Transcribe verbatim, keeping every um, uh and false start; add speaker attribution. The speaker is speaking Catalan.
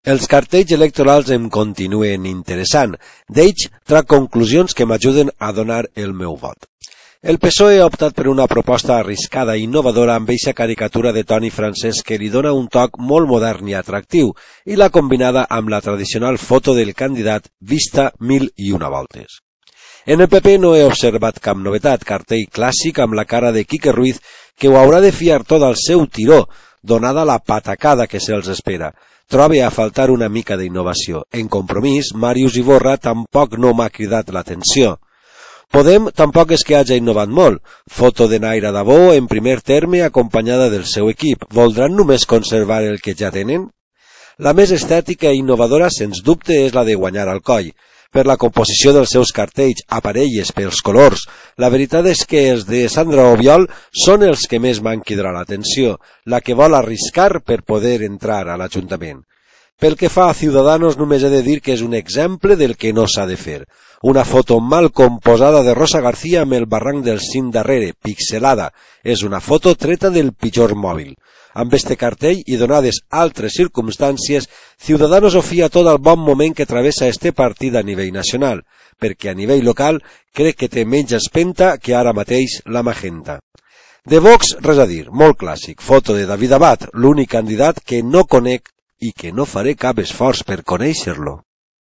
Speaker 1: Els cartells electorals em continuen interessant. D'ells trac conclusions que m'ajuden a donar el meu vot. El P S O E ha optat per una proposta arriscada i innovadora amb eixa caricatura de Toni Francesc que li dona un toc molt modern i atractiu i l'ha combinada amb la tradicional foto del candidat vista mil i una voltes. En el P P no he observat cap novetat, cartell clàssic amb la cara de Quique Ruiz que ho haurà de fiar tot al seu tiró, donada la patacada que se'ls espera. Trobe a faltar una mica d'innovació. En Compromís, Màrius Iborra tampoc no m'ha cridat l'atenció. Podem tampoc és que hagi innovat molt. Foto de Naira Dabó en primer terme acompanyada del seu equip. Voldran només conservar el que ja tenen? La més estètica i innovadora, sens dubte, és la de guanyar al coll. Per la composició dels seus cartells, aparelles, pels colors. La veritat és que els de Sandra Obiol són els que més m'han cridat l'atenció, la que vol arriscar per poder entrar a l'Ajuntament. Pel que fa a Ciudadanos, només he de dir que és un exemple del que no s'ha de fer. Una foto mal composada de Rosa García amb el barranc del cim darrere, pixelada. És una foto treta del pitjor mòbil. Amb este cartell i donades altres circumstàncies, Ciudadanos ho fia tot al bon moment que travessa este partit a nivell nacional, perquè a nivell local crec que té menys espenta que ara mateix la Magenta. De Vox, res a dir, molt clàssic, foto de David Abad, l'únic candidat que no conec i que no faré cap esforç per conèixer-lo.